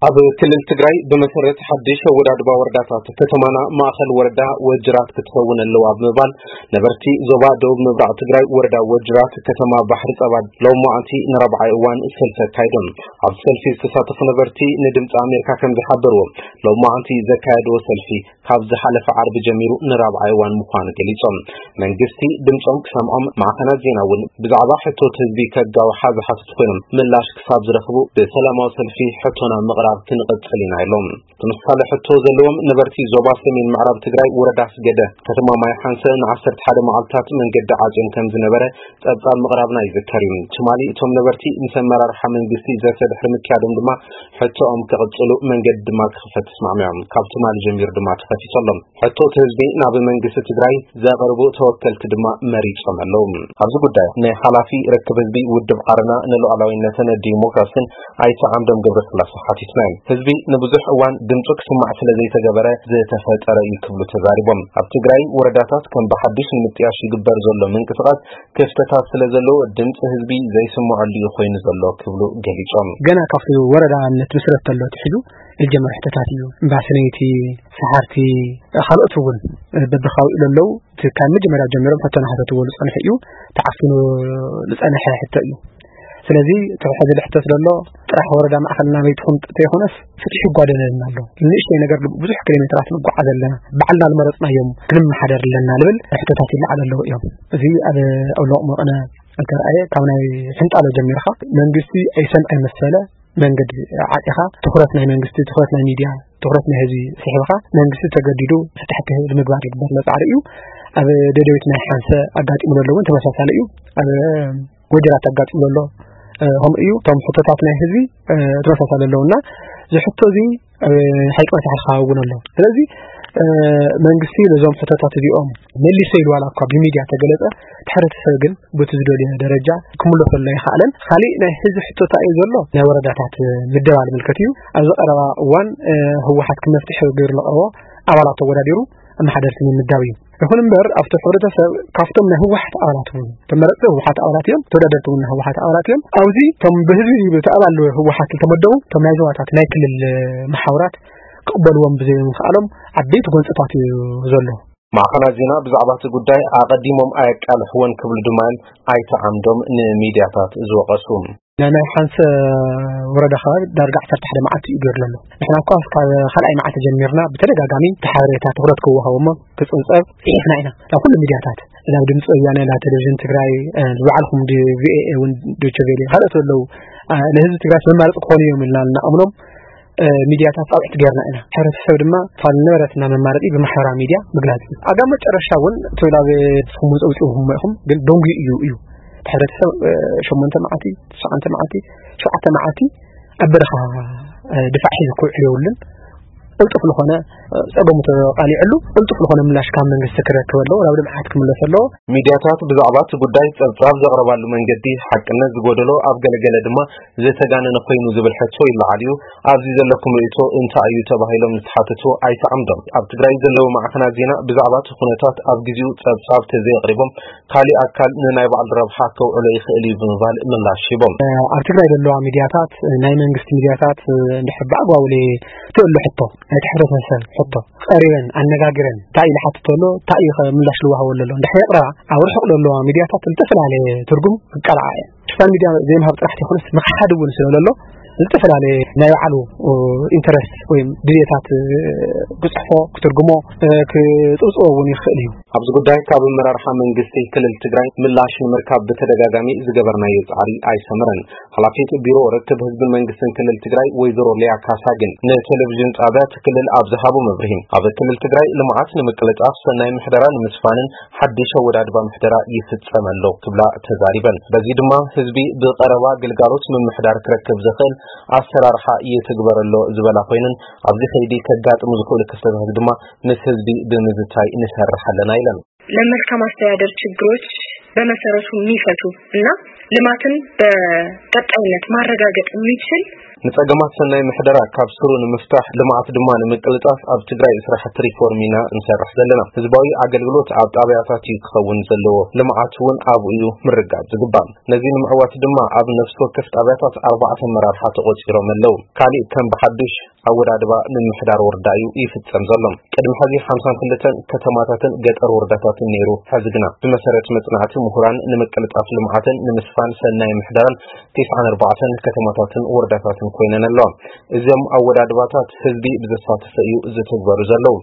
ኣብ ክልል ትግራይ ብመሰረት ሓድሽ ኣወዳድባ ወረዳታት ከተማና ማእኸል ወረዳ ወጅራት ክትኸውን ኣለዋ ብምባል ነበርቲ ዞባ ደቡብ ምብራቕ ትግራይ ወረዳ ወጅራት ከተማ ባሕሪ ጸባ ሎማዓንቲ ንራብዓይ እዋን ሰልፊ ኣካይዶም። ኣብ ሰልፊ ዝተሳተፉ ነበርቲ ንድምፂ ኣሜሪካ ከም ዝሓበርዎ ሎማዓንቲ ዘካየድዎ ሰልፊ ካብ ዝሓለፈ ዓርቢ ጀሚሩ ንራብዓይ እዋን ምዃኑ ገሊጾም። መንግስቲ ድምጾም ክሰምዖም ማዕኸናት ዜና እውን ብዛዕባ ሕቶት ህዝቢ ከጋውሓ ዝሓትቱ ኮይኖም ምላሽ ክሳብ ዝረኽቡ ብሰላማዊ ሰልፊ ሕቶና ምቕራብ ክንቕጽል ኢና ኢሎም። ተመሳሳሊ ሕቶ ዘለዎም ነበርቲ ዞባ ሰሜን ምዕራብ ትግራይ ወረዳ ኣስገደ ከተማ ማይ ሓንሰ ን11 መዓልታት መንገዲ ዓጽዮም ከም ዝነበረ ጸብጻብ ምቕራብና ይዝከር እዩ። ትማሊ እቶም ነበርቲ ምስ ኣመራርሓ መንግስቲ ዘተ ድሕሪ ምክያዶም ድማ ሕቶኦም ክቕጽሉ መንገዲ ድማ ክኽፈት ተስማዕሚዖም። ካብ ትማሊ ጀሚሩ ድማ ተኸፊቱ ኣሎ። ሕቶት ህዝቢ ናብ መንግስቲ ትግራይ ዘቕርቡ ተወከልቲ ድማ መሪጾም ኣለዉ። ኣብዚ ጉዳይ ናይ ሓላፊ ርክብ ህዝቢ ውድብ ዓረና ንሉዓላዊነትን ዲሞክራሲን ኣይተ ዓምዶም ገብረስላሴ ሓቲትና እዮም። ህዝቢ ንብዙሕ እዋን ድምፁ ክስማዕ ስለ ዘይተገበረ ዝተፈጠረ እዩ ክብሉ ተዛሪቦም። ኣብ ትግራይ ወረዳታት ከም ብሓድሽ ንምጥያሽ ይግበር ዘሎ ምንቅስቃስ ክፍተታት ስለ ዘለዎ ድምፂ ህዝቢ ዘይስምዐሉ እዩ ኮይኑ ዘሎ ክብሉ ገሊፆም። ገና ካብቲ ወረዳ ንትምስረት ተሎ ትሕዙ ዝጀመረ ሕቶታት እዩ። እምባሰነይቲ፣ ሰሓርቲ፣ ካልኦት እውን በብካባቢኡ ዘለዉ እቲ ካብ መጀመርያ ጀሚሮም ሕቶ ናሓተትዎ ዝፀንሑ እዩ። ተዓፊኑ ዝፀንሐ ሕቶ እዩ። ስለዚ እቲ ሕዚ ዝሕተት ዘሎ ጥራሕ ወረዳ ማእኸል ናበይ ትኹን ተይኮነስ ፍትሒ ይጓደለና ኣሎ። ንእሽተይ ነገር ብዙሕ ኪሎ ሜትራት ንጓዓዝ ኣለና። ባዕልና ዝመረፅናዮም ክንመሓደር ኣለና ዝብል ሕቶታት ይለዓል ኣለዉ እዮም። እዚ ኣብ ኣብ ሎቕ መቐነ እንተረኣየ ካብ ናይ ሕንጣሎ ጀሚርካ መንግስቲ ኣይሰምዐ መሰለ መንገዲ ዓጢኻ ትኹረት ናይ መንግስቲ፣ ትኹረት ናይ ሚድያ፣ ትኹረት ናይ ህዝቢ ስሒብካ መንግስቲ ተገዲዱ ፍትሕቲ ንምግባር ይግበር ዘሎ ፃዕሪ እዩ። ኣብ ደደቢት ናይ ሓንሰ ኣጋጢሙ ዘሎ እውን ተመሳሳሊ እዩ። ኣብ ወጀራት ኣጋጢሙ ዘሎ ከምኡ እዩ። እቶም ሕቶታት ናይ ህዝቢ ተመሳሳሊ ኣለውና ዝሕቶ እዚ ኣብ ሓይቂ መታሕት ክኸውን ኣሎ። ስለዚ መንግስቲ ነዞም ሕቶታት እዚኦም መሊሰ ኢሉ ዋላ እኳ ብሚድያ ተገለጸ፣ እቲ ሕብረተሰብ ግን በቲ ዝደልዮ ደረጃ ክምለሰሉ ኣይኸኣለን። ካሊእ ናይ ህዝቢ ሕቶታ እዩ ዘሎ ናይ ወረዳታት ምደባ ዝምልከት እዩ። ኣብዚ ቀረባ እዋን ህወሓት ክመፍትሒ ገይሩ ለቕርቦ ኣባላት ተወዳዲሩ ኣመሓደርቲ ንምምዳብ እዩ። ይኹን እምበር ኣብቲ ሕብረተሰብ ካብቶም ናይ ህወሓት ኣባላት እውን ተመረፅቲ ህወሓት ኣባላት እዮም፣ ተወዳደርቲ እውን ናይ ህወሓት ኣባላት እዮም። ኣብዚ እቶም ብህዝቢ ብቲ ኣባል ህወሓት ዝተመደቡ እቶም ናይ ዞባታት ናይ ክልል መሓውራት ክቕበልዎም ብዘይምኽኣሎም ዓበይቲ ጎንፅታት እዩ ዘሎ። ማዕኸናት ዜና ብዛዕባ እቲ ጉዳይ ኣቐዲሞም ኣየቃልሕዎን ክብሉ ድማ እዮም ኣይተ ዓምዶም ንሚድያታት ዝወቐሱ። ናይ ናይ ሓንሰ ወረዳ ከባቢ ዳርጋ ዓሰርተ ሓደ መዓልቲ እዩ ገይሩ ዘሎ። ንሕና እኳ ካብ ካልኣይ መዓልቲ ጀሚርና ብተደጋጋሚ እቲ ሓበሬታ ትኹረት ክወሃቦ እሞ ክፅብፀብ ፅሒፍና ኢና ናብ ኩሉ ሚድያታት፣ ናብ ድምፂ ወያነ፣ ናብ ቴሌቪዥን ትግራይ፣ እ፣ ዝባዕልኩም ዲ-፣ ቪኦኤ እውን፣ ዶይቼ ቬለ፣ ካልኦት ዘለዉ፣ እ፣ ንህዝቢ ትግራይ መማረፂ ክኾኑ እዮም ኢልና እናኣምኖም፣ እ፣ ሚድያታት ፃውዒት ገይርና ኢና። ሕብረተሰብ ድማ ፋል ነበረትና መማረፂ ብማሕበራዊ ሚድያ ምግላፅ እዩ። ኣብ መጨረሻ እውን እቲ ናብ ንስኹም እውን ፀውፂኹም ኢኹም፣ ግን ደንጉዩ እዩ እዩ። እቲ ሕብረተሰብ፣ እ፣ ሸሞንተ መዓልቲ፣ ትሽዓተ መዓልቲ፣ ሸውዓተ መዓልቲ ኣብ በረኻ፣ እ፣ ድፋዕ ሒዙ ክውዕል የብሉን። ቅልጡፍ ዝኾነ፣ እ፣ ፀገሙ ተቃሊዕሉ ቅልጡፍ ዝኾነ ምላሽ ካብ መንግስቲ ክረክብ ኣለዎ፣ ናብ ልምዓት ክምለስ ኣለዎ። ሚድያታት ብዛዕባ እቲ ጉዳይ ጸብጻብ ዘቕረባሉ መንገዲ ሓቅነት ዝጎደሎ፣ ኣብ ገለገለ ድማ ዝተጋነነ ኮይኑ ዝብል ሕቶ ይለዓል እዩ። ኣብዚ ዘለኩም ርእይቶ እንታይ እዩ ተባሂሎም ዝተሓተቱ ኣይተ ዓምዶም፣ ኣብ ትግራይ ዘለዉ ማዕኸናት ዜና ብዛዕባ እቲ ኩነታት ኣብ ግዜኡ ጸብጻብ ተዘየቕሪቦም ካሊእ ኣካል ንናይ ባዕሉ ረብሓ ከውዕሎ ይኽእል እዩ ብምባል ምላሽ ሂቦም። ኣብ ትግራይ ዘለዋ ሚድያታት፣ ናይ መንግስቲ ሚድያታት፣ እንድሕር ብኣግባቡ ተእሎ ሕቶ፣ ናይቲ ሕብረተሰብ ሕቶ ቀሪበን ኣነጋግረን እንታይ ኢሉ ሓትቶ ኣሎ፣ እንታይ እዩ ምላሽ ዝወሃበሉ ኣሎ እንድሕር የቕረባ፣ ኣብ ርሑቕ ዘለዋ ሚድያታት ዝተፈላለየ ትርጉም ክቀልዓ እየን። ሽፋን ሚድያ ዘይምሃብ ጥራሕ ዘይኮነስ ምኽሓድ እውን ስለ ዘሎ ዝተፈላለየ ናይ ባዕሉ ኢንተረስት ወይ ድልየታት ክፅሕፎ፣ ክትርጉሞ፣ ክፅብፅቦ እውን ይኽእል እዩ። ኣብዚ ጉዳይ ካብ ኣመራርሓ መንግስቲ ክልል ትግራይ ምላሽ ንምርካብ ብተደጋጋሚ ዝገበርናዮ ጻዕሪ ኣይሰመረን። ሓላፊት ቢሮ ርክብ ህዝብን መንግስትን ክልል ትግራይ ወይዘሮ ሊያ ካሳ ግን ንቴሌቪዥን ጣብያ እቲ ክልል ኣብ ዝሃቦ መብርሂ፣ ኣብ ክልል ትግራይ ልምዓት ንምቅልጣፍ፣ ሰናይ ምሕደራ ንምስፋንን ሓድሽ ኣወዳድባ ምሕደራ ይፍጸም ኣሎ ክብላ ተዛሪበን። በዚ ድማ ህዝቢ ብቐረባ ግልጋሎት ምምሕዳር ክረክብ ዝኽእል ኣሰራርሓ ይትግበር ኣሎ ዝበላ ኮይነን፣ ኣብዚ ከይዲ ከጋጥሙ ዝኽእሉ ክፍተታት ድማ ምስ ህዝቢ ብምዝታይ ንሰርሕ ኣለና ኢለን። ለመልካም አስተዳደር ችግሮች በመሰረቱ የሚፈቱ እና ልማትን በቀጣይነት ማረጋገጥ የሚችል ንጸገማት ሰናይ ምሕደራ ካብ ስሩ ንምፍታሕ፣ ልምዓት ድማ ንምቅልጣፍ ኣብ ትግራይ ስራሕቲ ሪፎርም ኢና እንሰርሕ ዘለና። ህዝባዊ ኣገልግሎት ኣብ ጣብያታት እዩ ክኸውን ዘለዎ። ልምዓት እውን ኣብኡ እዩ ምርጋብ ዝግባእ። ነዚ ንምዕዋት ድማ ኣብ ነፍሲ ወከፍ ጣብያታት ኣርባዕተ ኣመራርሓ ተቖጺሮም ኣለዉ። ካሊእ ከም ብሓዱሽ ኣወዳድባ ምምሕዳር ወረዳ እዩ ይፍጸም ዘሎ። ቅድሚ ሕዚ ሓምሳን ክልተን ከተማታትን ገጠር ወረዳታትን ነይሩ። ሕዚ ግና ብመሰረት መጽናዕቲ ምሁራን ንምቅልጣፍ ልምዓትን ንምስፋን ሰናይ ምሕደራን ቲስዓን ኣርባዕተን ከተማታትን ወረዳታትን ኮይነን ኣለዋ። እዞም ኣወዳድባታት ህዝቢ ብዘሳተፈ እዩ ዝትግበሩ ዘለዉ።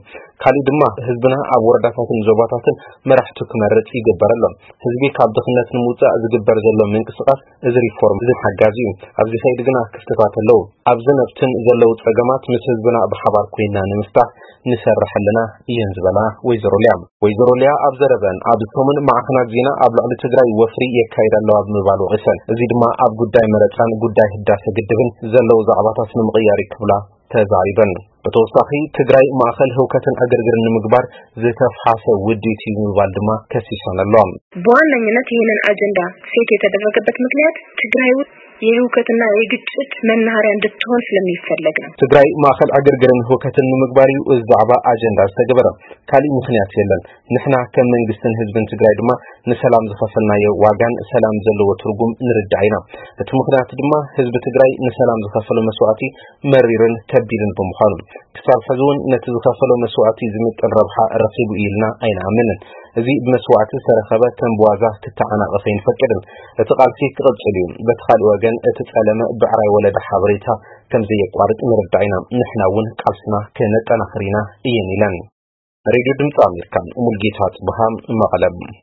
ካሊእ ድማ ህዝብና ኣብ ወረዳታትን ዞባታትን መራሕቱ ክመርጽ ይግበር ኣሎ። ህዝቢ ካብ ድኽነት ንምውጻእ ዝግበር ዘሎ ምንቅስቃስ እዚ ሪፎርም እዚ ሓጋዚ እዩ። ኣብዚ ከይዲ ግና ክፍተታት ኣለዉ። ኣብዚ ነብትን ዘለዉ ጸገማት ምስ ህዝብና ብሓባር ኮይና ንምፍታሕ ንሰርሕ ኣለና እየን ዝበላ ወይዘሮ ሊያ። ወይዘሮ ሊያ ኣብ ዘረበን፣ ኣብ ሰሙን ማዕኸናት ዜና ኣብ ልዕሊ ትግራይ ወፍሪ የካይድ ኣለዋ ብምባል ወቒሰን። እዚ ድማ ኣብ ጉዳይ መረጻን ጉዳይ ህዳሰ ግድብን ዘለዉ ዛዕባታት ንምቕያር እዩ ክብላ ተዛሪበን። ብተወሳኺ ትግራይ ማእኸል ህውከትን ዕግርግርን ንምግባር ዝተፍሓሰ ውዲት እዩ ብምባል ድማ ከሲሰን ኣለዋ። በዋነኝነት ይህንን አጀንዳ ሴት የተደረገበት ምክንያት ትግራይ ውስጥ የህውከትና የግጭት መናኸሪያ እንድትሆን ስለሚፈለግ ነው። ትግራይ ማእኸል ዕግርግርን ህውከትን ንምግባር እዩ እዚ ዛዕባ ኣጀንዳ ዝተገበረ። ካሊእ ምክንያት የለን። ንሕና ከም መንግስትን ህዝብን ትግራይ ድማ ንሰላም ዝኸፈልናዮ ዋጋን ሰላም ዘለዎ ትርጉም ንርዳእ ኢና። እቲ ምክንያት ድማ ህዝቢ ትግራይ ንሰላም ዝኸፈሎ መስዋእቲ መሪርን ከቢድን ብምዃኑ፣ ክሳብ ሕዚ እውን ነቲ ዝኸፈሎ መስዋእቲ ዝምጥን ረብሓ ረኺቡ እዩ ኢልና ኣይንኣምንን። እዚ ብመስዋእቲ ዝተረኸበ ከም ብዋዛ ክተዓናቐፍ ኣይንፈቅድን። እቲ ቃልሲ ክቕጽል እዩ። በቲ ካልእ ወገን እቲ ጸለመ ብዕራይ ወለደ ሓበሬታ ከም ዘየቋርጽ ንርዳእ ኢና። ንሕና እውን ቃልስና ከነጠናኽር ኢና እየን ኢለን። ሬድዮ ድምፂ ኣሜሪካ፣ ሙልጌታ ጽብሃ፣ መቐለ።